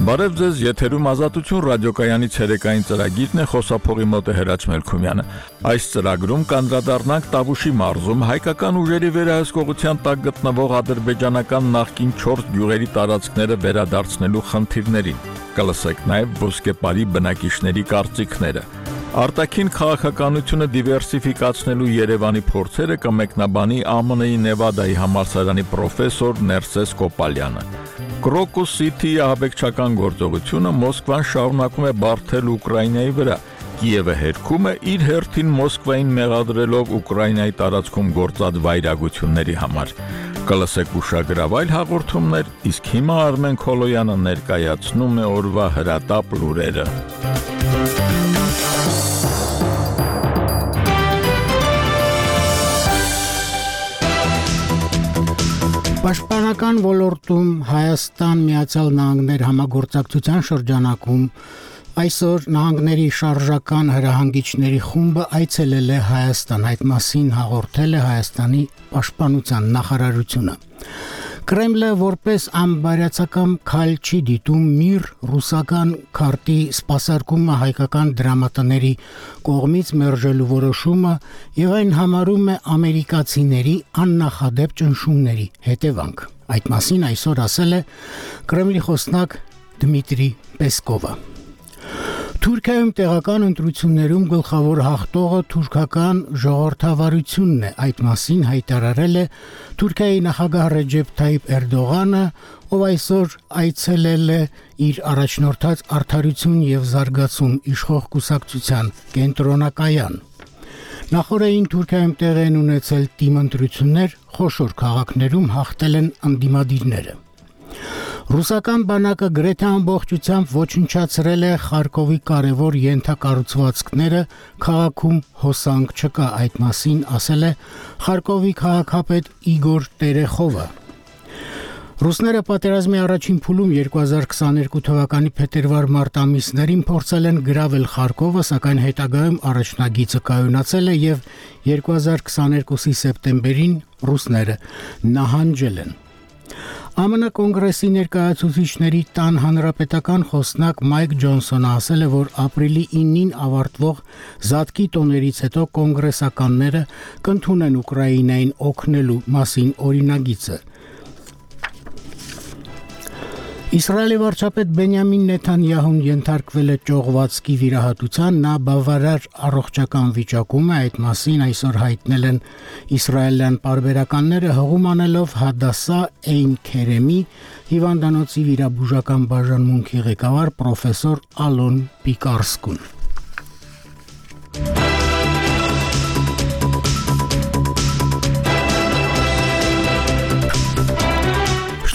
Բարև ձեզ, եթերում Ազատություն ռադիոկայանի ցերեկային ծրագիրն է, խոսափողի մոտ է Հրաչ Մելքումյանը։ Այս ծրագրում կանդրադառնանք Տավուշի մարզում հայկական ուժերի վերահսկողության տակ գտնվող ադրբեջանական նախկին 4 գյուղերի տարածքները վերադարձնելու խնդիրներին։ Կլսեք նաև ոսկեպարի բնակիչների կարծիքները։ Արտաքին քաղաքականությունը դիվերսիֆիկացնելու Երևանի փորձերը կմեկնաբանի ԱՄՆ-ի Նևադայի համալսարանի պրոֆեսոր Ներսես Կոպալյանը։ Crocus City-ի ահաբեկչական գործողությունը Մոսկվան շարունակում է բարդել Ուկրաինայի վրա։ Կիևը հերքում է իր հերթին Մոսկվային մեղադրելով Ուկրաինայի տարածքում գործած վայրագությունների համար։ Կլսեք ուշագրավ այլ հաղորդումներ, իսկ հիմա Արմեն Քոլոյանը ներկայացնում է օրվա հրատապ լուրերը։ Պաշտպանական ոլորտում Հայաստան Միացյալ Նահանգներ համագործակցության շրջանակում այսօր նահանգների շարժական հրահանգիչների խումբը այցելել է Հայաստան, այդ մասին հաղորդել է Հայաստանի պաշտպանության նախարարությունը։ Կրեմլը որպես անբարյացակամ քայլ չի դիտում միր ռուսական քարտի սպասարկումը հայկական դրամատների կողմից մերժելու որոշումը եւ այն համարում է ամերիկացիների աննախադեպ ճնշումների հետևանք։ Այդ մասին այսօր ասել է Կրեմլի խոսնակ Դմիտրի Պեսկովը։ Թուրքիայում տեղական ընտրություններում գլխավոր հաղթողը թուրքական ժողովրդավարությունն է, այդ մասին հայտարարել է Թուրքիայի նախագահ Ռեջեփ Թայիփ Էրդողանը, ով այսօր այցելել է իր առաջնորդած Արդարություն եւ զարգացում իշխող կուսակցության կենտրոնակայան։ Նախորդին Թուրքիայում տեղի են ունեցել թիմընտրություններ, խոշոր քաղաքներում հաղթել են ընդդիմադիրները։ Ռուսական բանակը գրեթե ամբողջությամբ ոչնչացրել է Խարկովի կարևոր ենթակառուցվածքները, քաղաքում հոսանք չկա, այդ մասին ասել է Խարկովի քաղաքապետ Իգոր Տերեխովը։ Ռուսները պատերազմի առաջին փուլում 2022 թվականի փետրվար-մարտ ամիսներին փորձել են գրավել Խարկովը, սակայն հետագայում առաջնագիծը կայունացել է եւ 2022-ի սեպտեմբերին ռուսները նահանջել են։ ԱՄՆ կոնգրեսի ներկայացուցիչների տան հանրապետական խոսնակ Մայք Ջոնսոնը ասել է, որ ապրիլի 9-ին ավարտվող Զատկի տոներից հետո կոնգրեսականները կընդունեն Ուկրաինային օգնելու մասին օրինագիծը։ Իսրայելի վարչապետ Բենյամին Նեթանյահուն ենթարկվել է ճողվածքի վիրահատության, նա բավարար առողջական վիճակում է, այդ մասին այսօր հայտնել են իսրայելյան պարբերականները, հղում անելով Հադասա Էյն Քերեմի հիվանդանոցի վիրաբուժական բաժանմունքի ղեկավար պրոֆեսոր Ալոն Պիկարսկուն։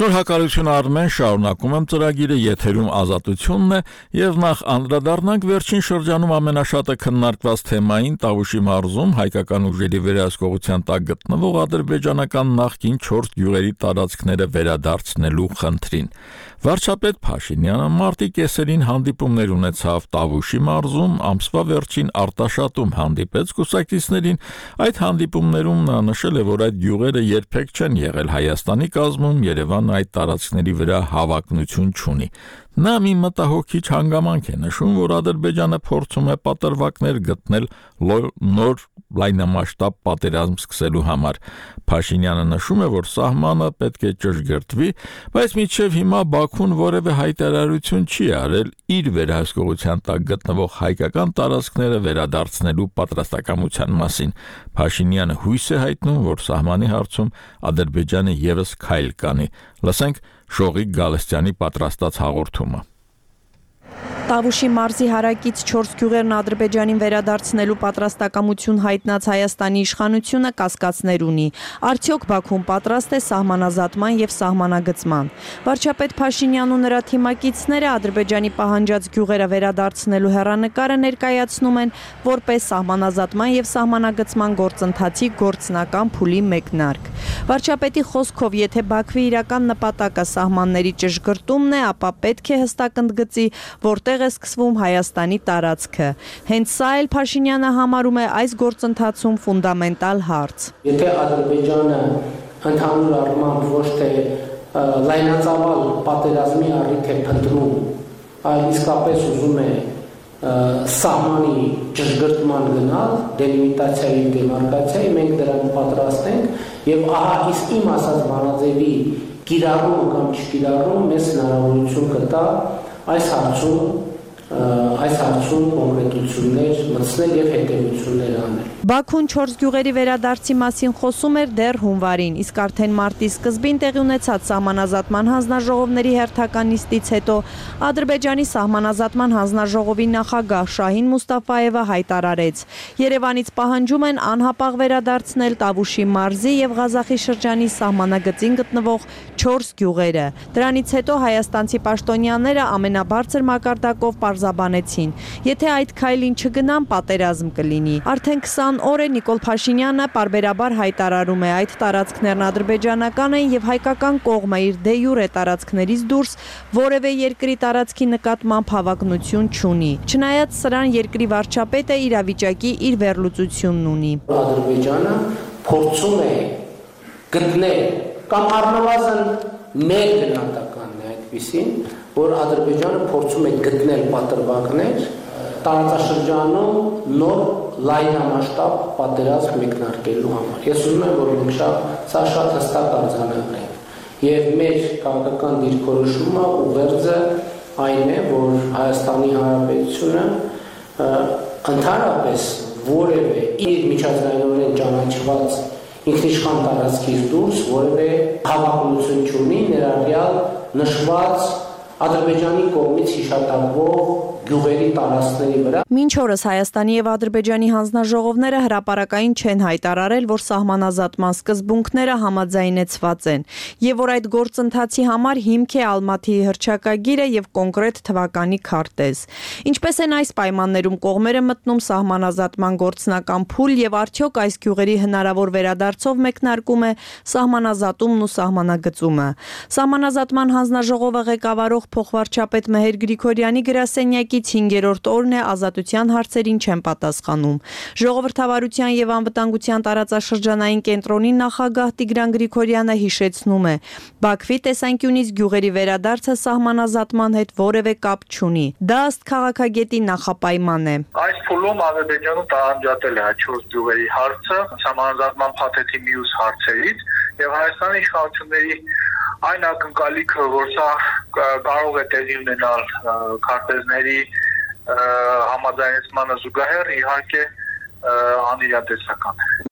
Շնորհակալություն Արմեն, շարունակում եմ ծրագիրը, եթերում Ազատությունն է եւ նախ անդրադառնանք վերջին շրջանում ամենաշատը քննարկված թեմային Տավուշի մարզում հայկական ուժերի վերահսկողության տակ գտնվող ադրբեջանական նախկին 4 գյուղերի տարածքները վերադարձնելու խնդրին։ Վարչապետ Փաշինյանը մարտի կեսերին հանդիպումներ ունեցավ Տավուշի մարզում, ամսվա վերջին Արտաշատում հանդիպեց կուսակիցներին, այդ հանդիպումներում նա նշել է, որ այդ գյուղերը երբեք չեն եղել Հայաստանի կազմում, Երևան այդ տարածքների վրա հավակնություն չունի։ Նա մի մտահոգիչ հանգամանք է նշում, որ Ադրբեջանը փորձում է պատրվակներ գտնել նոր լայնամասշտաբ պատերազմ սկսելու համար։ Փաշինյանը նշում է, որ սահմանը պետք է ճշգրտվի, բայց մինչև հիմա Բաքուն որևէ հայտարարություն չի արել իր վերահսկողության տակ գտնվող հայկական տարածքները վերադարձնելու պատրաստակամության մասին։ Փաշինյանը հույս է հայտնում, որ սահմանի հարցում Ադրբեջանը եւս քայլ կանի։ Լսենք Շողիկ Գալստյանի պատրաստած հաղորդումը։ Տավուշի մարզի հարակից 4 գյուղերն Ադրբեջանին վերադարձնելու պատրաստակամություն հայտնած Հայաստանի իշխանությունը կասկածներ ունի։ Արդյոք Բաքուն պատրաստ է սահմանազատման եւ սահմանագծման։ Վարչապետ Փաշինյանն ու նրա թիմակիցները Ադրբեջանի պահանջած գյուղերը վերադարձնելու հեռանկարը ներկայացնում են որպես սահմանազատման եւ սահմանագծման գործընթացի գործնական փուլի մեկնարկ։ Վարչապետի խոսքով, եթե Բաքվի իրական նպատակը սահմանների ճշգրտումն է, ապա պետք է հստակ ընդգծի, որտեղ է սկսվում Հայաստանի տարածքը։ Հենց սա էլ Փաշինյանը համարում է այս գործընթացում ֆունդամենտալ հարց։ Եթե Ադրբեջանը ընդհանուր առմամբ ոչ թե լայնածավալ պատերազմի առիթ է փնտրում այլ իսկապես ուզում է սահմանի ճշգրտման գնալ, դելիմիտացիայի, դեմարկացիայի, մենք դրան պատրաստ ենք եւ ահա իսկ իմ ասած բանաձևի կիրառումը կամ չկիրառումը մեզ հնարավորություն կտա այս հարցում կոնկրետություններ մտցնել եւ հետեւություններ անել։ Բաքուն 4 գյուղերի վերադարձի մասին խոսում էր դեռ հունվարին, իսկ արդեն մարտի սկզբին տեղի ունեցած սահմանազատման հանձնաժողովների հերթական նիստից հետո Ադրբեջանի սահմանազատման հանձնաժողովի նախագահ Շահին Մուստաֆայևը հայտարարեց. Երևանից պահանջում են անհապաղ վերադարձնել Տավուշի մարզի եւ Ղազախի շրջանի սահմանագծին գտնվող 4 գյուղերը։ Դրանից հետո հայաստանցի պաշտոնյաները ամենաբարձր մակարդակով պարզաբանեցին. եթե այդ քայլին չգնան, պատերազմ կլինի։ Արդեն 20 օր է Նիկոլ Փաշինյանը պարբերաբար հայտարարում է այդ տարածքներն ադրբեջանական են եւ հայկական կողմը իր դե յուրե տարածքներից դուրս որևէ երկրի տարածքի նկատմամբ հավակնություն չունի։ Չնայած սրան երկրի վարչապետը իրավիճակի իր վերլուծությունն ունի։ Ադրբեջանը փորձում է գտնել կամ առնվազն մեր գնահատականն է այդպեսին, որ Ադրբեջանը փորձում է գտնել պատրվակներ տարածաշրջանում նոր լայնամասշտաբ պատերազմ մեկնարկելու համար։ Ես ուզում եմ, որ մենք սա շատ հստակ արձանագրենք։ Եվ մեր քաղաքական դիրքորոշումը ուղերձը այն է, որ Հայաստանի Հանրապետությունը ընդհանրապես որևէ իր միջազգայինորեն ճանաչված ինքնիշխան տարածքից դուրս որևէ հավակնություն չունի ներառյալ նշված Ադրբեջանի կողմից հիշատակվող գյուղերի տարածքների վրա։ Մինչ օրս Հայաստանի եւ Ադրբեջանի հանձնաժողովները հրապարակային չեն հայտարարել, որ սահմանազատման սկզբունքները համաձայնեցված են եւ որ այդ գործընթացի համար հիմք է Ալմաթիի հռչակագիրը եւ կոնկրետ թվականի քարտեզ։ Ինչպես են այս պայմաններում կողմերը մտնում սահմանազատման գործնական փուլ եւ արդյոք այս գյուղերի հնարավոր վերադարձով մեկնարկում է սահմանազատումն ու սահմանագծումը։ Սահմանազատման հանձնաժողովը ղեկավարող փոխվարչապետ Մեհեր Գրիգորյանի գրասենյակից 5-րդ օրն է ազատության հարցերին չեն պատասխանում։ Ժողովրդավարության եւ անվտանգության տարածաշրջանային կենտրոնի նախագահ Տիգրան Գրիգորյանը հիշեցնում է. Բաքվի տեսանկյունից գյուղերի վերադարձը սահմանազատման հետ որևէ կապ չունի։ Դա ըստ քաղաքագետի նախապայման է։ Այս փուլում Ադրբեջանը տարանջատել է 4 գյուղերի հարցը սահմանազատման փաթեթի մյուս հարցերից եւ Հայաստանի իշխանությունների այն ակնկալիքը, որ սա կարող է տեղի ունենալ քարտեզների համաձայնեցմանը զուգահեռ, իհարկե անիրատեսական է։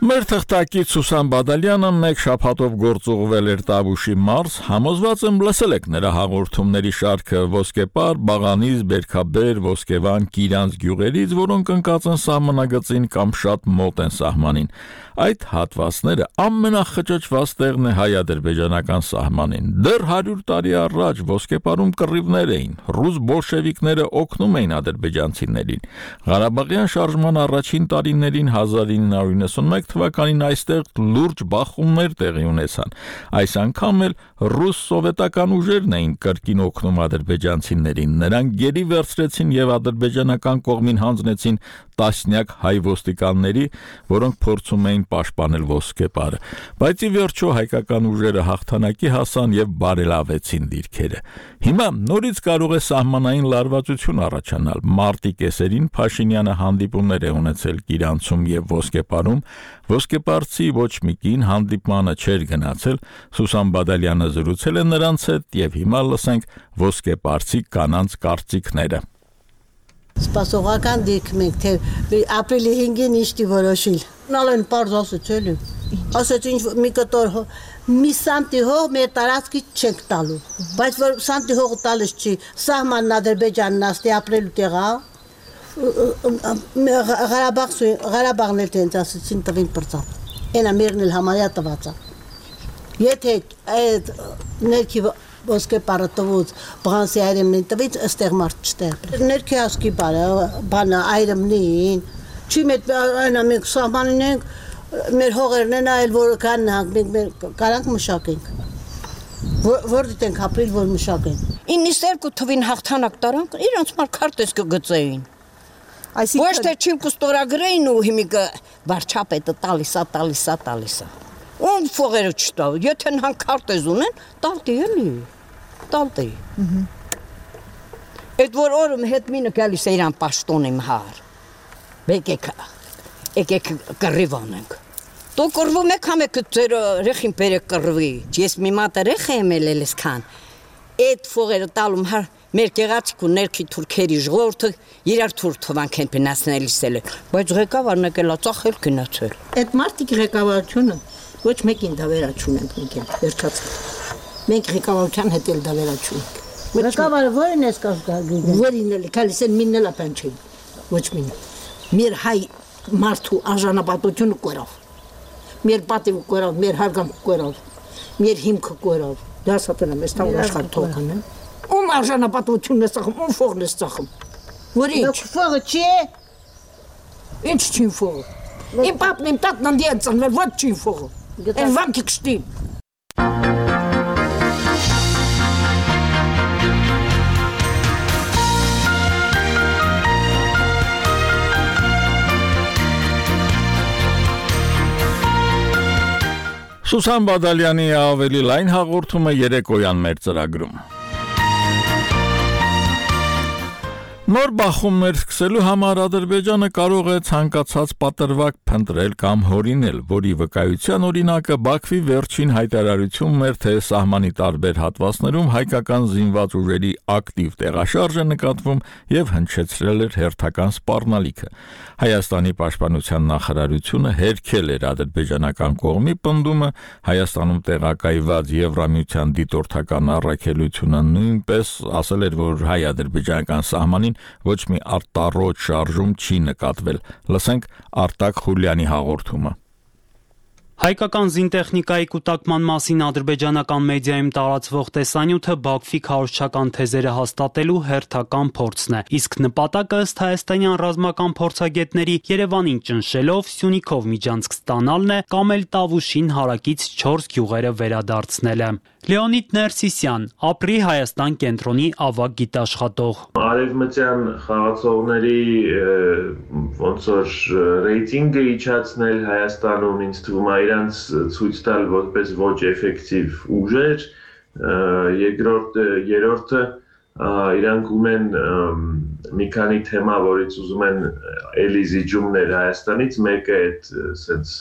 Մեր թղթակից Սուսան Բադալյանը մեկ շաբաթով գործուղվել էր Տավուշի մարզ, համոզված եմ լսել եք նրա հաղորդումների շարքը Ոսկեպար, Բաղանից, Բերքաբեր, Ոսկեվան, Կիրանց գյուղերից, որոնք ընկած են սահմանագծին կամ շատ մոտ են սահմանին։ Այդ հատվածները ամենախճճված տեղն է հայ-ադրբեջանական սահմանին։ Դեռ 100 տարի առաջ Ոսկեպարում կռիվներ էին, ռուս բոլշևիկները օգնում էին ադրբեջանցիներին։ Ղարաբաղյան շարժման առաջին տարիներին 1991 թվականին այստեղ լուրջ բախումներ տեղի ունեցան։ Այս անգամ էլ ռուս սովետական ուժերն էին կրկին օգնում ադրբեջանցիներին։ Նրանք գերի վերցրեցին եւ ադրբեջանական կողմին հանձնեցին տասնյակ հայ ոստիկանների, որոնք փորձում էին պաշտպանել Ոսկեպարը։ Բայց ի վերջո հայկական ուժերը հաղթանակի հասան եւ բարելավեցին դիրքերը։ Հիմա նորից կարող է սահմանային լարվածություն առաջանալ։ Մարտի կեսերին Փաշինյանը հանդիպումներ է ունեցել Կիրանցում եւ Ոսկեպարում։ Ոսկեպարցի ոչ մի կին հանդիպմանը չէր գնացել, Սուսան Բադալյանը զրուցել է նրանց հետ եւ հիմա լսենք ոսկեպարցի կանանց կարծիքները։ Սպասողական դիրքում ենք, թե ապրիլի 5-ին ինչի որոշիլ։ Նալեն պարզ ասացել եմ։ Ասաց ինչ մի կտոր մի սանտի հող մեր տարածքից չենք տալու։ Բայց որ սանտի հողը տալիս չի, սահմանն Ադրբեջանն աստի ապրելու տեղա։ Ղարաբաղն էլ տենց ասեցին տվին պրծան։ Ենա մերն էլ համարյա տված է։ Եթե այդ ներքի Ոսկեպարը տվուց բղանսի այրեմնին տվից աստեղ մարդ չտեղ։ Ներքի ասկի բանը այրեմնին, չի մետ այնա մենք սահմանին ենք, մեր հողերն են այլ որ կան նահանք, մենք կարանք մշակենք։ Որ դիտենք ապրիլ, որ մշակենք։ 92 թվին հաղթանակ տարանք, իրանց մար քարտեզ կգծեին։ Ոչ թե չիմ կստորագրեին ու հիմիկը վարչապետը տալիսա։ Ում փողերը չտավ, եթե նրանք քարտեզ ունեն, տալտի էլի, տալտի։ Այդ որ օրում հետ մինը գալիս է իրան պաշտոն իմ հար, եկեք կռիվանենք։ Դու կռվում եք համեք ձեր ռեխին բերեք կռվի, ես մի մատ ռեխ եմ ելես քան, այդ փողերը տալում հար մեր գեղացիկ ու ներքի թուրքերի ժողովուրդը իրար թուր թվանք են պենասնելիս էլ են, բայց ղեկավարն եկել է ծախել գնացել։ Այդ մարդիկ ղեկավարությունը ոչ մեկին դավերաչուն ենք մեկել, վերջացել։ Մենք ղեկավարության հետ էլ դավերաչուն ենք։ Ղեկավարը որին ես կազգագին։ Որին էլ, քալիս են մինն էլ ապանչին, ոչ մինը։ Մեր հայ մարդու արժանապատությունը կորավ, մեր պատիվը կորավ, մեր հարգանքը կորավ, մեր հիմքը կորավ, դա սատեն եմ, ես տավ աշխար թողքան եմ։ Ում արժանապատությունն ես ծախում, ում ֆողն ես ծախում, որ ինչ։ Ֆողը չի է, ինչ չին ֆողը, իմ պապն իմ տատն անդի են ծնվել, ոչ չին ֆողը, են վանքի կշտին։ Սուսան Բադալյանի ավելի լայն հաղորդումը երեկոյան մեր ծրագրում։ Նոր բախումներ սկսելու համար Ադրբեջանը կարող է ցանկացած պատրվակ փնտրել կամ հորինել, որի վկայության օրինակը Բաքվի վերջին հայտարարությունն էր, թե սահմանի տարբեր հատվածներում հայկական զինված ուժերի ակտիվ տեղաշարժ է նկատվում եւ հնչեցրել էր հերթական սպառնալիքը։ Հայաստանի պաշտպանության նախարարությունը հերքել էր ադրբեջանական կողմի պնդումը, Հայաստանում տեղակայված Եվրամիության դիտորդական առաքելությունը նույնպես ասել էր, որ հայ-ադրբեջանական սահմանին ոչ մի արտառոց շարժում չի նկատվել։ Լսենք Արտակ Խուլյանի հաղորդումը։ Հայկական զինտեխնիկայի կուտակման մասին ադրբեջանական մեդիայում տարածվող տեսանյութը Բաքվի քարոզչական թեզերը հաստատելու հերթական փորձն է, իսկ նպատակը ըստ հայաստանյան ռազմական փորձագետների Երևանին ճնշելով Սյունիքով միջանցք ստանալն է կամ էլ Տավուշին հարակից 4 գյուղերը վերադարձնելը։ Լեոնիդ Ներսիսյան, Ապրի Հայաստան կենտրոնի ավագ գիտաշխատող։ Արևմտյան խաղացողների ոնց որ ռեյտինգը իջացնել Հայաստանում ինձ թվում է իրանց ցույց տալ որպես ոչ էֆեկտիվ ուժեր, երրորդը իրանք ունեն մի քանի թեմա, որից ուզում են էլի զիջումներ Հայաստանից, մեկը այդ սենց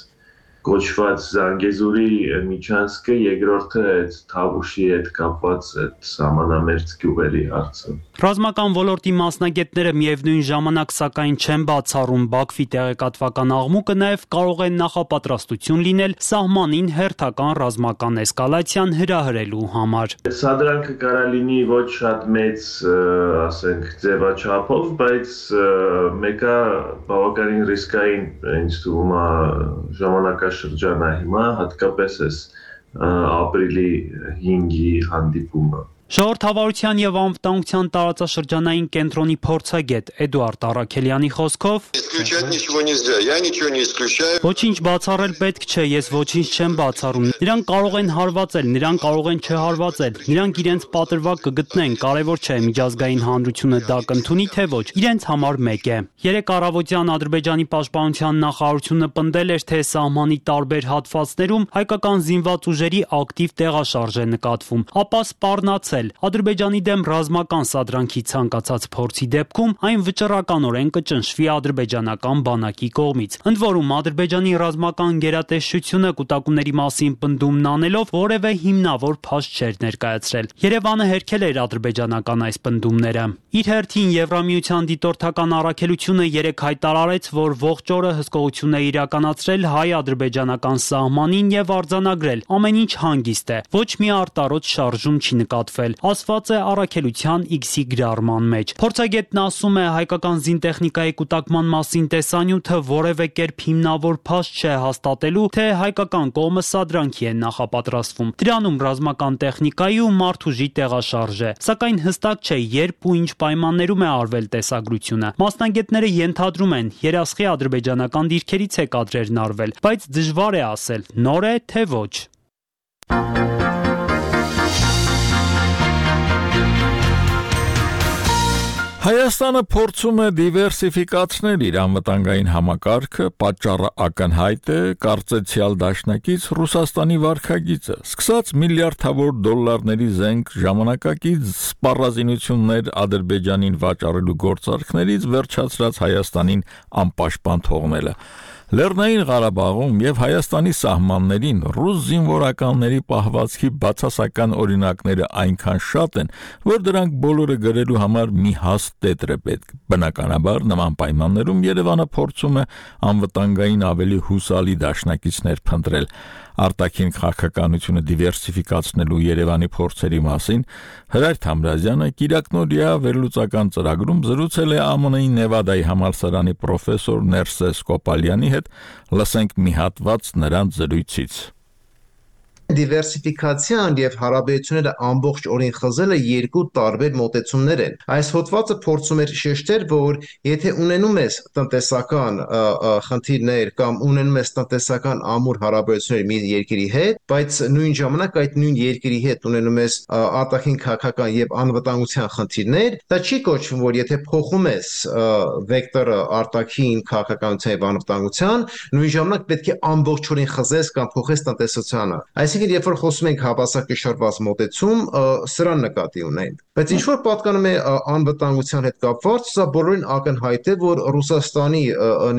կոչված Զանգեզուրի միջանցքը, երկրորդը այդ Թավուշի հետ կապված այդ սահմանամերձ գյուղերի հարցը։ Ռազմական ոլորտի մասնագետները միևնույն ժամանակ սակայն չեն բացառում Բաքվի տեղեկատվական աղմուկը նաև կարող է նախապատրաստություն լինել սահմանին հերթական ռազմական էսկալացիան հրահրելու համար։ Սադրանքը կարա լինի ոչ շատ մեծ, ասենք, ձևաչափով, բայց մեկը բավականին ռիսկային ինձ թվում է ժամանակաշրջանը հիմա, հատկապես էս ապրիլի 5-ի հանդիպումը։ Ժողովրդավարության եւ անվտանգության տարածաշրջանային կենտրոնի փորձագետ Էդուարդ Առաքելյանի խոսքով Ոչինչ բացառել պետք չէ, ես ոչինչ չեմ բացառում։ Նրանք կարող են հարվածել, նրանք կարող են չհարվածել, նրանք իրենց պատրվակ կգտնեն, կարևոր չէ միջազգային հանրությունը դա կընդունի թե ոչ, իրենց համար մեկ է։ Երեք առավոտյան Ադրբեջանի պաշտպանության նախարարությունը պնդել էր, թե սահմանի տարբեր հատվածներում հայկական զինված ուժերի ակտիվ տեղաշարժ է նկատվում, ապա սպառնացել Ադրբեջանի դեմ ռազմական սադրանքի ցանկացած փորձի դեպքում այն վճռականորեն կճնշվի ադրբեջանական բանակի կողմից։ Ընդ որում Ադրբեջանի ռազմական գերատեսչությունը կուտակումների մասին պնդումն անելով որևէ հիմնավոր փաստ չէր ներկայացրել։ Երևանը հերքել էր ադրբեջանական այս պնդումները։ Իր հերթին Եվրամիության դիտորդական առաքելությունը երեկ հայտարարեց, որ ողջ օրը հսկողություն է իրականացրել հայ-ադրբեջանական սահմանին եւ արձանագրել ամեն ինչ հանգիստ է։ Ոչ մի արտառոց շարժում չի նկատվել, ասված է առաքելության X-ի գրառման մեջ։ Փորձագետն ասում է, հայկական զինտեխնիկայի կուտակման մասին տեսանյութը որևէ կերպ հիմնավոր փաստ չէ հաստատելու, թե հայկական կողմը սադրանքի է նախապատրաստվում։ Դրանում ռազմական տեխնիկայի ու մարդուժի տեղաշարժ է, սակայն հստակ չէ երբ ու ինչ պայմաններում է արվել տեսագրությունը։ Մասնագետները ենթադրում են, երասխի ադրբեջանական դիրքերից է կադրերն արվել, բայց դժվար է ասել, նոր է թե ոչ։ Հայաստանը փորձում է դիվերսիֆիկացնել իր անվտանգային համակարգը, պատճառը ակնհայտ է, կարծեցյալ դաշնակից Ռուսաստանի վարքագիծը, սկսած միլիարդավոր դոլարների զենք ժամանակակից սպառազինություններ Ադրբեջանին վաճառելու գործարքներից վերջացրած Հայաստանին անպաշտպան թողնելը։ Լեռնային Ղարաբաղում եւ Հայաստանի սահմաններին ռուս զինվորականների պահվածքի բացասական օրինակները այնքան շատ են, որ դրանք բոլորը գրելու համար մի հաստ տետր է պետք։ Բնականաբար նման պայմաններում Երևանը փորձում է անվտանգային ավելի հուսալի դաշնակիցներ փնտրել։ Արտաքին քաղաքականությունը դիվերսիֆիկացնելու Երևանի փորձերի մասին Հրայր Թամրազյանը Կիրակնորիա վերլուծական ծրագրում զրուցել է ԱՄՆ-ի Նևադայի համալսարանի պրոֆեսոր Ներսես Կոպալյանի հետ, լսենք մի հատված նրանց զրույցից։ Դիվերսիֆիկացիան եւ հարաբերությունները ամբողջ օրին խզելը երկու տարբեր մոտեցումներ են։ Այս հոդվածը փորձում է շեշտել, որ եթե ունենում ես տնտեսական խնդիրներ կամ ունենում ես տնտեսական ամուր հարաբերություններ մի երկրի հետ, բայց նույն ժամանակ այդ նույն երկրի հետ ունենում ես արտաքին քաղաքական եւ անվտանգության խնդիրներ, դա չի կոչվում, որ եթե փոխում ես վեկտորը արտաքին քաղաքականության եւ անվտանգության, նույն ժամանակ պետք է ամբողջ օրին խզես կամ փոխես տնտեսությանը։ Այսինքն, երբ որ խոսում ենք հավասարակշռված մոտեցում, սրան նկատի ունենք։ Բայց ինչ որ պատկանում է անվտանգության հետ կապված, սա բոլորին ակնհայտ է, որ Ռուսաստանի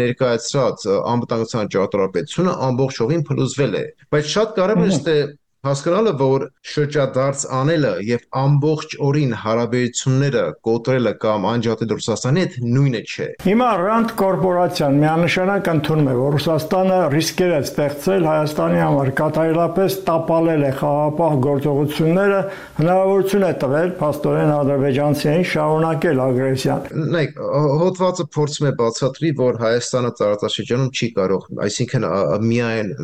ներկայացրած անվտանգության ճարտարապետությունը ամբողջովին փլուզվել է։ Բայց շատ կարևոր է հասկանալը, որ շրջադարձ անելը եւ ամբողջ օրին հարաբերությունները կոտրելը կամ անջատել Ռուսաստանի հետ նույնը չէ։ Հիմա Rand կորպորացիան միանշանակ ընդունում է, որ Ռուսաստանը ռիսկեր է ստեղծել Հայաստանի համար, կատարելապես տապալել է խաղաղապահ գործողությունները, հնարավորություն է տվել փաստորեն ադրբեջանցիներին շարունակել ագրեսիան։ Նայեք, հոդվածը փորձում է բացատրի, որ Հայաստանը տարածաշրջանում չի կարող, այսինքն միայն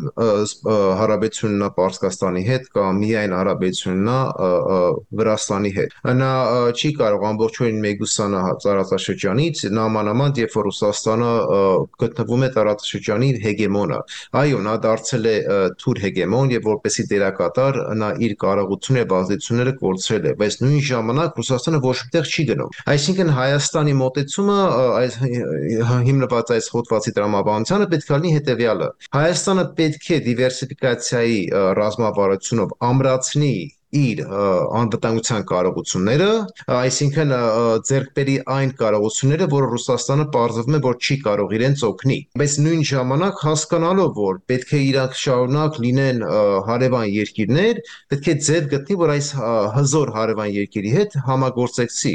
հարաբերությունն Պարսկաստանի հետ կամ միայն հարաբերություննա Վրաստանի հետ։ Նա չի կարող ամբողջովին մեգուսանա տարածաշրջանից, նամանավանդ երբ որ Ռուսաստանը գտնվում է տարածաշրջանի հեգեմոնը։ Այո, նա դարձել է թուր հեգեմոն եւ որպեսի դերակատար նա իր կարողությունները եւ ազդեցությունները կորցրել է, բայց նույն ժամանակ Ռուսաստանը ոչ մտեղ չի գնում։ Այսինքն Հայաստանի մոտեցումը այս հիմնված այս հոդվածի տրամաբանությանը պետք է լինի հետեւյալը։ Հայաստանը պետք է դիվերսիֆիկացիայի ռազմավարությունով ամրացնի իր անվտանգության կարողությունները, այսինքն ձեռք բերի այն կարողությունները, որ Ռուսաստանը պարզվում է, որ չի կարող իրենց օգնի։ Բայց նույն ժամանակ հասկանալով, որ պետք է իրանք շարունակ լինեն հարևան երկիրներ, պետք է ձև գտնի, որ այս հզոր հարևան երկրի հետ համագործակցի։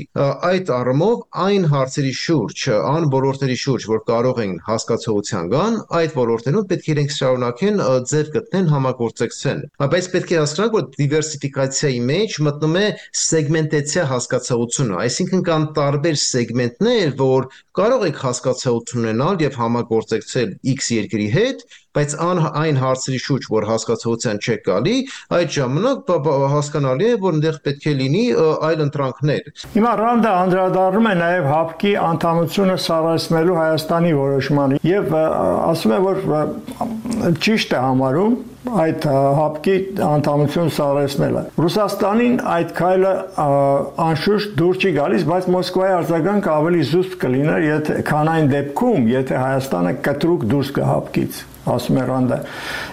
Այդ առումով այն հարցերի շուրջ, այն ոլորտների շուրջ, որ կարող են հասկացողության գան, այդ ոլորտներում պետք է իրենք շարունակեն ձև գտնեն համագործակցեն։ Բայց պետք է հասկանալ, որ դիվերսիֆիկացիայի մեջ մտնում է սեգմենտացիա հասկացողությունը, այսինքն կան տարբեր սեգմենտներ, որ կարող եք հասկացողություն ունենալ եւ համագործակցել X երկրի հետ, բայց այն հարցերի շուրջ, որ հասկացողության չեք գալի, այդ ժամանակ հասկանալի է, որ այնտեղ պետք է լինի այլ ընտրանքներ։ Հիմա Ռանդը անդրադառնում է նաև ՀԱՊԿ-ի անդամությունը սառեցնելու Հայաստանի որոշմանը եւ ասում է, որ ճիշտ է համարում այդ ՀԱՊԿ-ի անդամություն սառեցնելը։ Ռուսաստանին այդ քայլը անշուշտ դուր չի գալիս, բայց Մոսկվայի արձագանքը ավելի զուսպ կլիներ, քան այն դեպքում, եթե Հայաստանը կտրուկ դուրս գա ՀԱՊԿ-ից, ասում է Ռանդը,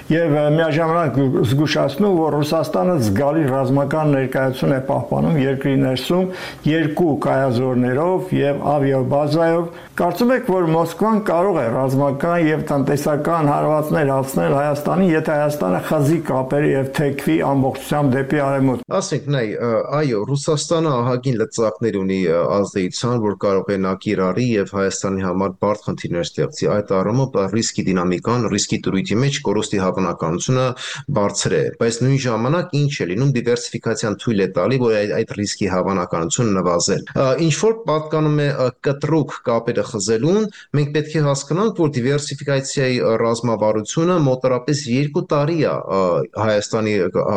եւ միաժամանակ զգուշացնում, որ Ռուսաստանը զգալի ռազմական ներկայություն է պահպանում երկրի ներսում երկու կայազորներով եւ ավիաբազայով։ Կարծում եք, որ Մոսկվան կարող է ռազմական եւ տնտեսական հարվածներ հասցնել Հայաստանին, եթե Հայաստանը խզի կապերի եւ թեքվի ամբողջությամբ դեպի արևմուտք։ Ասենք, այո, Ռուսաստանը ահագին լծակներ ունի ազդեցության, որ կարող է նա կիրառի եւ Հայաստանի համար բարդ խնդիրներ ստեղծի։ Այդ առումով ռիսկի դինամիկան, ռիսկի դրույթի մեջ կորուստի հավանականությունը բարձր է, բայց նույն ժամանակ ինչ է լինում դիվերսիֆիկացիան թույլ է տալի, որ այդ ռիսկի հավանականությունը նվազել։ Ինչ որ պատկանում է կտրուկ կապերը խզելուն, մենք պետք է հասկանանք, որ դիվերսիֆիկացիայի ռազմավարությունը մոտավորապես 2 տարի է Հայաստանի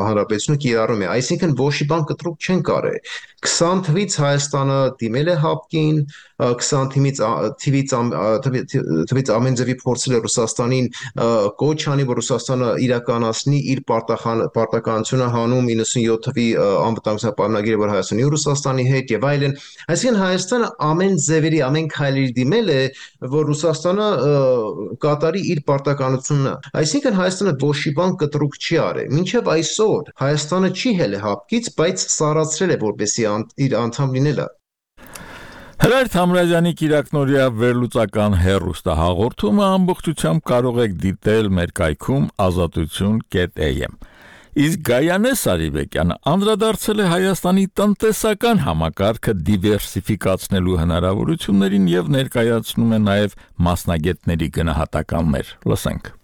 Հանրապետությունը կիրառում է, այսինքն ոչ մի բան կտրուկ չեն կարել։ 20 թվից Հայաստանը դիմել է ՀԱՊԿ-ին, 20 թվից ամեն ձևի փորձել է Ռուսաստանին կոչ անի, որ Ռուսաստանը իրականացնի իր պարտականությունը հանում 97 թվի անվտանգության պայմանագիրը, որ Հայաստանի ու Ռուսաստանի հետ եւ այլն։ Այսինքն Հայաստանը ամեն ձևերի, ամեն քայլերի դիմել է, որ Ռուսաստանը կատարի իր պարտականությունը։ Այսինքն Հայաստանը ոչ մի բան կտրուկ չի արել։ Մինչև այսօր Հայաստանը չի հել ՀԱՊԿ-ից, բայց սառացրել է որպեսզի իր անդամ լինելը։ Հրայր Թամրազյանի կիրակնօրյա վերլուծական հեռուստահաղորդումը ամբողջությամբ կարող եք դիտել մեր կայքում azatutun.am։ Իսկ Գայանե Սարիբեկյանը անդրադարձել է Հայաստանի տնտեսական համակարգը դիվերսիֆիկացնելու հնարավորություններին եւ ներկայացնում է նաեւ մասնագետների գնահատականներ։ Լսենք։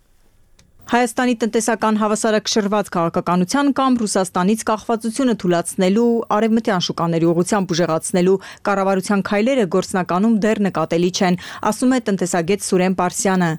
Հայաստանի տնտեսական հավասարակշռված քաղաքականության կամ Ռուսաստանից կախվածությունը թույլատնելու արևմտյան շուկաների ուղղությամբ ուժեղացնելու կառավարության քայլերը գործնականում դեռ նկատելի չեն, ասում է տնտեսագետ Սուրեն Պարսյանը։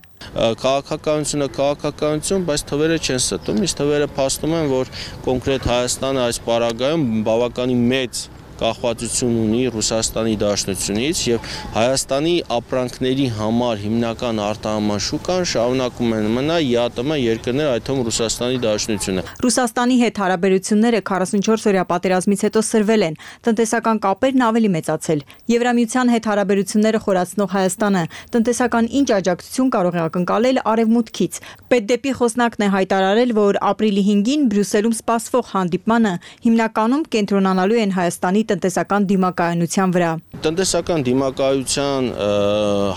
Քաղաքականություն, բայց թվերը չեն ստում, իսկ թվերը փաստում են, որ կոնկրետ Հայաստանը այս պարագայում բավականին մեծ կախվածություն ունի Ռուսաստանի Դաշնությունից եւ Հայաստանի ապրանքների համար հիմնական արտահանման շուկան շարունակում են մնա ԵԱՏՄ երկրներ, այդ թվում Ռուսաստանի Դաշնությունը։ Ռուսաստանի հետ հարաբերությունները 44-օրյա պատերազմից հետո սրվել են, տնտեսական կապերն ավելի մեծացել։ Եվրամիության հետ հարաբերությունները խորացնող Հայաստանը տնտեսական ինչ աջակցություն կարող է ակնկալել արևմուտքից։ Պետդեպի խոսնակն է հայտարարել, որ ապրիլի 5-ին Բրյուսելում սպասվող հանդիպմանը հիմնականում կենտրոնանալու են Հայաստանի տնտեսական դիմակայունության վրա։ Տնտեսական դիմակայության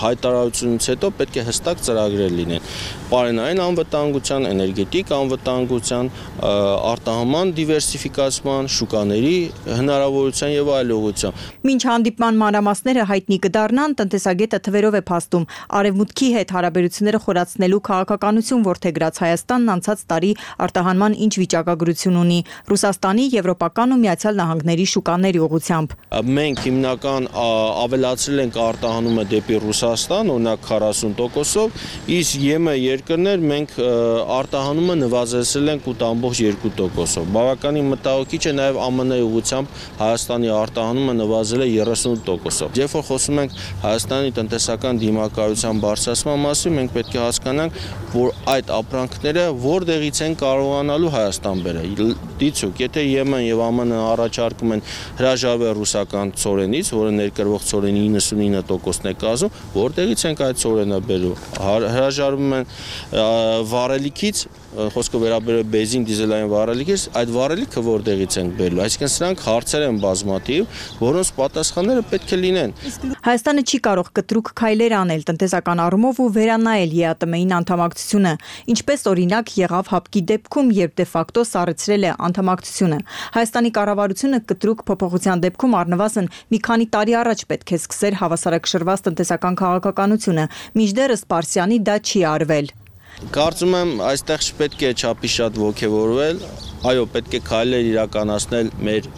հայտարարությունից հետո պետք է հստակ ծրագրեր լինեն։ Պարենային անվտանգության, էներգետիկ անվտանգության, արտահանման դիվերսիֆիկացման, շուկաների հնարավորության եւ այլ ուղղությամբ։ Մինչ հանդիպման մանրամասները հայտնի կդառնան, տնտեսագետը թվերով է փաստում արևմուտքի հետ հարաբերությունները խորացնելու քաղաքականություն որդեգրած Հայաստանն անցած տարի արտահանման ինչ վիճակագրություն ունի Ռուսաստանի, Եվրոպական ու Միացյալ Նահանգների շուկաների ուղղությամբ։ Մենք հիմնական ավելացրել ենք արտահանումը դեպի Ռուսաստան, օրինակ 40%-ով, իսկ ԵՄ երկրներ մենք արտահանումը նվազեցրել ենք 8.2%-ով։ Բավականին մտահոգիչ է նաև ԱՄՆ-ի ուղղությամբ Հայաստանի արտահանումը նվազել է 38%-ով։ Երբ որ խոսում ենք Հայաստանի տնտեսական դիմակայության բարձրացման մասին, մենք պետք է հասկանանք, որ այդ ապրանքները որտեղից են կարողանալու Հայաստան բերել։ Դիցուք, եթե ԵՄ եւ ԱՄՆ-ը առաջարկում են հրաժարվել ռուսական ծորենից, որը ներկրվող ծորենի 99%-ն է կազմում, որտեղից ենք այդ ծորենը բերում։ Հրաժարվում են վառելիքից, խոսքը վերաբերում է բենզին դիզելային վառելիքից, այդ վառելիքը որտեղից ենք բերելու։ Այսինքն սրանք հարցեր են բազմաթիվ, որոնց պատասխանները պետք է լինեն։ Հայաստանը չի կարող կտրուկ քայլեր անել տնտեսական առումով ու վերանայել ԵԱՏՄ-ին անդամակցությունը, ինչպես օրինակ եղավ ՀԱՊԿ-ի դեպքում, երբ դե ֆակտո սառեցրել է անդամակցությունը։ Հայաստանի կառավարությունը կտրուկ փոփոխության դեպքում առնվազն մի քանի տարի առաջ պետք է սկսեր հավասարակշռված տնտեսական քաղաքականությունը, մինչդեռ Պարսյանի դա չի արվել։ Կարծում եմ, այստեղ չպետք է չափի շատ ոգևորվել, այո, պետք է քայլեր իրականացնել մեր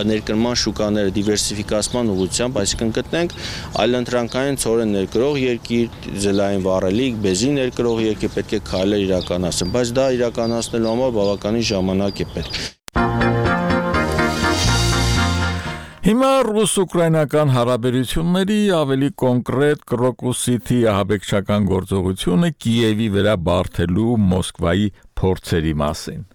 ներկրման շուկաները դիվերսիֆիկացման ուղղությամբ, այսինքն գտնենք այլընտրանքային ծորեն ներկրող երկիր, դիզելային վառելիք, բենզին ներկրող երկիր, պետք է քայլեր իրականացնել, բայց դա իրականացնելու համար բավականին ժամանակ է պետք։ Հիմա ռուս-ուկրաինական հարաբերությունների ավելի կոնկրետ Կրոկուսիթի ահաբեկչական գործողությունը Կիևի վրա բարթելու Մոսկվայի փորձերի մասին։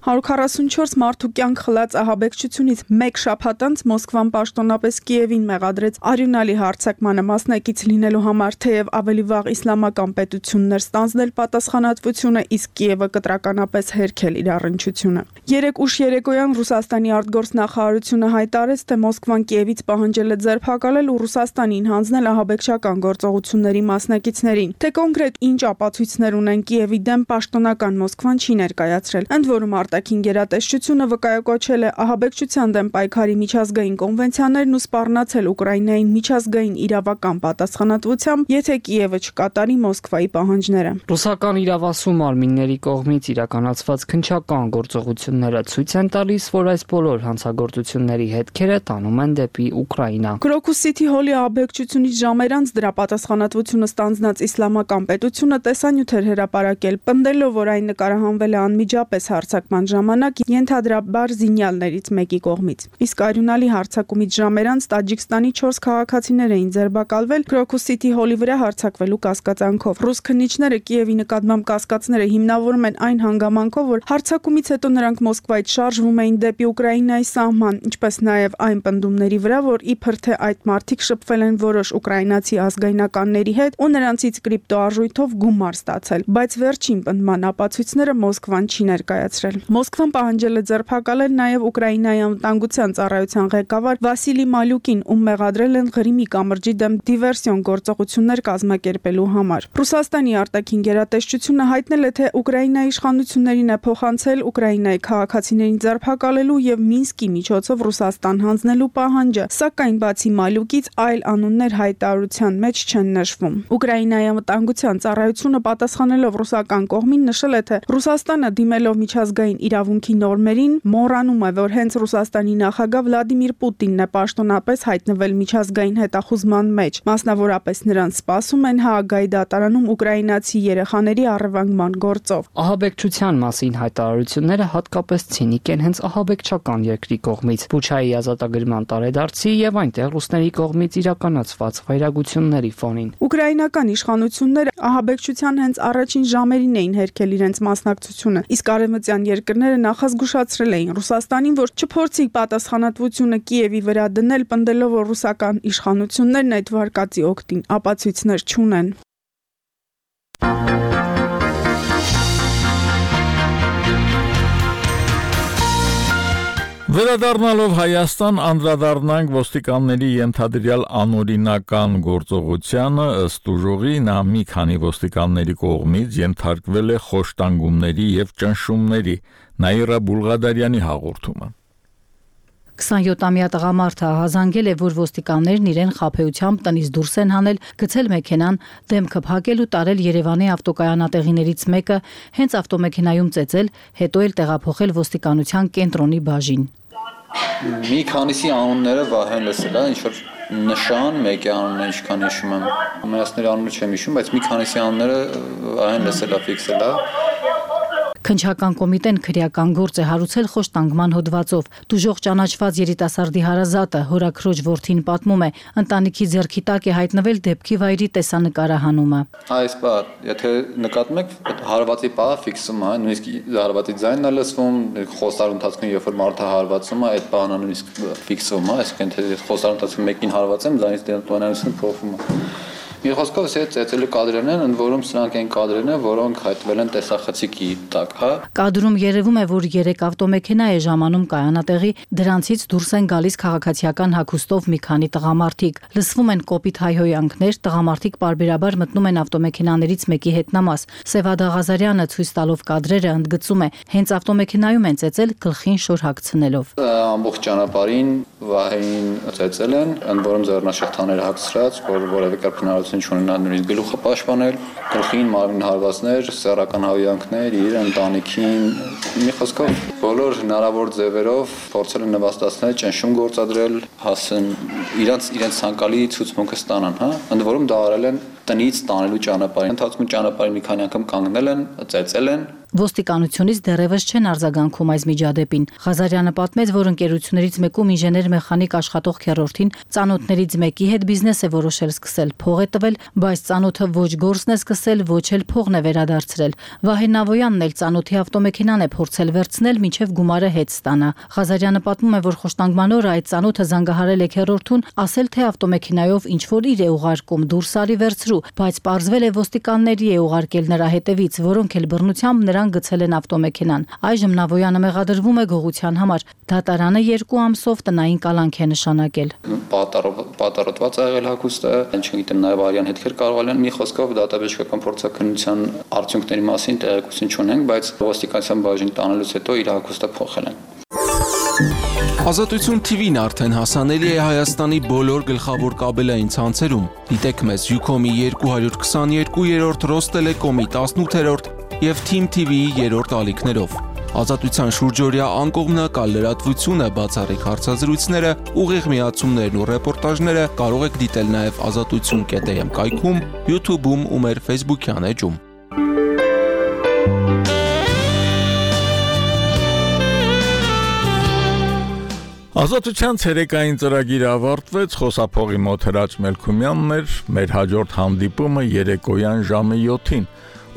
144 մարդու կյանք խլած ահաբեկչությունից մեկ շաբաթ անց Մոսկվան պաշտոնապես Կիևին մեղադրեց արյունալի հարձակմանը մասնակից լինելու համար, թեև ավելի վաղ իսլամական պետությունն էր ստանձնել պատասխանատվությունը, իսկ Կիևը կտրականապես հերքել իր առնչությունը։ 3 ուշ երեկոյան Ռուսաստանի արտգործնախարարությունը հայտարարեց, թե Մոսկվան Կիևից պահանջել է ձերբակալել ու Ռուսաստանին հանձնել ահաբեկչական գործողությունների մասնակիցներին։ Թե կոնկրետ ինչ ապացույցներ ունեն Կիևի դեմ, պաշտոնական Մոսկվան չի ներկայացրել, ընդ որում արտաքին գերատեսչությունը վկայակոչել է ահաբեկչության դեմ պայքարի միջազգային կոնվենցիաներն ու սպառնացել Ուկրաինային միջազգային իրավական պատասխանատվությամբ, եթե Կիևը չկատարի Մոսկվայի պահանջները։ Ռուսական իրավասու մարմինների կողմից իրականացված քննչական գործողությունները ցույց են տալիս, որ այս բոլոր հանցագործությունների հետքերը տանում են դեպի Ուկրաինա։ Crocus City Hall-ի ահաբեկչությունից ժամեր անց դրա պատասխանատվությունը ստանձնած իսլամական պետությունը տեսանյութ էր հրապարակել, պնդելով, որ այն նկարահանվել է անմիջապես հարձակման ժամանակ ենթադրաբար զինյալներից մեկի կողմից։ Իսկ արյունալի հարձակումից ժամեր անց Տաջիկստանի 4 քաղաքացիներ էին ձերբակալվել Crocus City Hall-ի վրա հարձակվելու կասկածանքով։ Ռուս քննիչները Կիևի նկատմամբ կասկածները հիմնավորում են այն հանգամանքով, որ հարձակումից հետո նրանք Մոսկվայից շարժվում էին դեպի Ուկրաինայի սահման, ինչպես նաև այն պնդումների վրա, որ իբր թե այդ մարդիկ շփվել են որոշ ուկրաինացի ազգայնականների հետ ու նրանցից կրիպտոարժույթով գումար ստացել, բայց վերջին պնդման ապացույցները Մոսկվան չի ներկայացրել։ Մոսկվան պահանջել է ձերբակալել նաև Ուկրաինայի անվտանգության ծառայության ղեկավար Վասիլի Մալյուկին, ում մեղադրել են Ղրիմի կամրջի դեմ դիվերսիոն գործողություններ կազմակերպելու համար։ Ռուսաստանի արտաքին գերատեսչությունը հայտնել է, թե Ուկրաինայի իշխանություններին է փոխանցել Ուկրաինայի քաղաքացիներին ձերբակալելու եւ Մինսկի միջոցով Ռուսաստան հանձնելու պահանջը, սակայն բացի Մալյուկից այլ անուններ հայտարարության մեջ չեն նշվում։ Ուկրաինայի անվտանգության ծառայությունը պատասխանելով ռուսական կողմին նշել է, թե Ռուսաստանը դիմելով միջազգային իրավունքի նորմերին մոռանում է, որ հենց Ռուսաստանի նախագահ Վլադիմիր Պուտինն է պաշտոնապես հայտնվել միջազգային հետախուզման մեջ, մասնավորապես նրան սպասում են Հաագայի դատարանում ուկրաինացի երեխաների առևանգման գործով։ Ահաբեկչության մասին հայտարարությունները հատկապես ցինիկ են հենց ահաբեկչական երկրի կողմից, Բուչայի ազատագրման տարեդարձի եւ այնտեղ ռուսների կողմից իրականացված վայրագությունների ֆոնին։ Ուկրաինական իշխանությունները ահաբեկչության հենց առաջին ժամերին էին հերքել իրենց մասնակցությունը, իսկ արևմտյան երկրները նախազգուշացրել էին Ռուսաստանին, որ չփորձի պատասխանատվությունը Կիևի վրա դնել, պնդելով, որ ռուսական իշխանություններն այդ վարկածի օգտին ապացույցներ չունեն։ Վերադառնալով Հայաստան, անդրադառնանք ոստիկանների ենթադրյալ անօրինական գործողությանը, ըստ ուժողի նա մի քանի ոստիկանների կողմից ենթարկվել է խոշտանգումների եւ ճնշումների։ Նաիրա Բուլղադարյանի հաղորդումը։ 27-ամյա տղամարդը ահազանգել է, որ ոստիկաններն իրեն խաբեությամբ տնից դուրս են հանել, գցել մեքենան, դեմքը փակել ու տարել Երևանի ավտոկայանատեղիներից մեկը, հենց ավտոմեքենայում ծեծել, հետո էլ տեղափոխել ոստիկանության կենտրոնի բաժին։ Մի քանիսի անունները վահեն լսել է, ինչ-որ նշան, մեկի անունը ինչքան հիշում եմ, մյուսների անունը չեմ հիշում, բայց մի քանիսի անունները վահեն լսել է, ֆիքսել է։ Քննչական կոմիտեն քրեական գործ է հարուցել խոշտանգման հոդվածով։ Դուժող ճանաչված երիտասարդի հարազատը հորաքրոջ որդին պատմում է, ընտանիքի ձեռքի տակ է հայտնվել դեպքի վայրի տեսանկարահանումը։ Այս բա, եթե նկատում եք, հարվածի պահը ֆիքսում է, նույնիսկ հարվածի ձայնն է լսվում, խոստարու ընթացքում երբ որ մարդը հարվածում է, այդ բանը նույնիսկ ֆիքսվում է, այսինքն թե խոստարու ընթացքում մեկին հարվածեմ, ձայնից տոնայնությունը փոխվում է։ Մի խոսքով սա ծեծելու կադրերն են, ընդ որում սրանք են կադրերն են, որոնք հայտնվել են տեսախցիկի տակ, հա։ Կադրում երևում է, որ 3 ավտոմեքենա է ժամանում կայանատեղի, դրանցից դուրս են գալիս քաղաքացիական հագուստով մի քանի տղամարդիկ։ Լսվում են կոպիտ հայհոյանքներ, տղամարդիկ պարբերաբար մտնում են ավտոմեքենաներից մեկի հետնամաս։ Սևադա Ղազարյանը ցույց տալով կադրերը ընդգծում է, հենց ավտոմեքենայում են ծեծել գլխին շոր հագցնելով։ Ամբողջ ճանապարհին վահեին ծեծել են, ընդ որում ձեռնաշղթաներ հագցրած, որ որևէ կերպ հնարավորություն չունենա նույնիսկ գլուխը պաշտպանել, գլխին մարմին հարվածներ, սեռական հավյանքներ, իր ընտանիքին, մի խոսքով բոլոր հնարավոր ձևերով փորձել են նվաստացնել, ճնշում գործադրել, հասեն իրենց ցանկալի ցուցմունքը ստանան, հա։ Ընդ որում դա արել են տնից տանելու ճանապարհին, ընթացքում ճանապարհին մի քանի անգամ կանգնել են, ծեծել են։ Ոստիկանությունից դեռևս չեն արձագանքում այս միջադեպին։ Ղազարյանը պատմեց, որ ընկերություններից մեկում ինժեներ-մեխանիկ աշխատող քեռորդին ծանոթներից մեկի հետ բիզնես է որոշել սկսել, փող է տվել, բայց ծանոթը ոչ գործն է սկսել, ոչ էլ փողն է վերադարձրել։ Վահե Նավոյանն էլ ծանոթի ավտոմեքենան է փորձել վերցնել, մինչև գումարը հետ ստանա։ Ղազարյանը պատմում է, որ խոշտանգման օրը այդ ծանոթը զանգահարել է քեռորդուն, ասել թե ավտոմեքենայով ինչ որ իր է ուղարկում, դուրս արի վերցրու շարժու, բայց պարզվել է ոստիկանների է ուղարկել նրա հետևից, որոնք էլ բռնությամբ նրան գցել են ավտոմեքենան։ Այժմ Նավոյանը մեղադրվում է գողության համար։ Դատարանը 2 ամսով տնային կալանք է նշանակել։ Պատառոտված է եղել հագուստը, չգիտեմ, նաև արյան հետքեր կարող են, մի խոսքով դատաբժշկական փորձաքննության արդյունքների մասին տեղեկություն չունենք, բայց ոստիկանության բաժին տանելուց հետո իր հագուստը փոխել են։ Ազատություն TV-ն արդեն հասանելի է Հայաստանի բոլոր գլխավոր կաբելային ցանցերում։ Դիտեք մեզ Ucom-ի 222-րդ, Ռոստելեկոմի 18-րդ եւ Team TV-ի 3-րդ ալիքներով։ Ազատության շուրջօրյա անկողմնակալ լրատվությունը, բացառիկ հարցազրույցները, ուղիղ միացումներն ու ռեպորտաժները կարող եք դիտել նաև azatutsun.am կայքում, YouTube-ում ու մեր Facebook-յան էջում։ Ազատության ցերեկային ծրագիրը ավարտվեց, խոսափողի մոտ Հրաչ Մելքումյանն էր, մեր հաջորդ հանդիպումը երեկոյան ժամը 7-ին։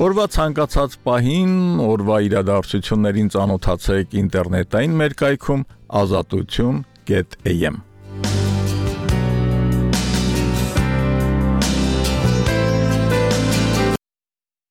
Օրվա ցանկացած պահին, օրվա իրադարձություններին ծանոթացեք ինտերնետային մեր կայքում azatutsun.am